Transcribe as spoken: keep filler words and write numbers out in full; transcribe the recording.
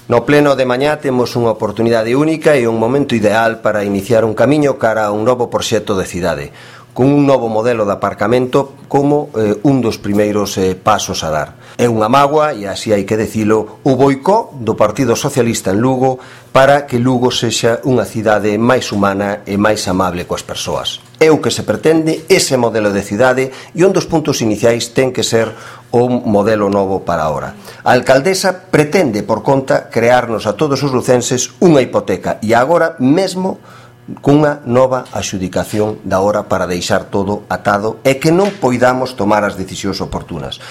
No pleno de mañá temos unha oportunidade única e un momento ideal para iniciar un camiño cara a un novo proxecto de cidade, con un novo modelo de aparcamento como eh, un dos primeiros eh, pasos a dar. É unha mágoa, e así hai que dicilo, o boicó do Partido Socialista en Lugo para que Lugo sexa unha cidade máis humana e máis amable coas persoas. É o que se pretende ese modelo de cidade e un dos puntos iniciais ten que ser o modelo novo para ahora. A alcaldesa pretende, por conta, crearnos a todos os lucenses unha hipoteca e agora mesmo cunha nova axudicación da hora para deixar todo atado e que non poidamos tomar as decisións oportunas.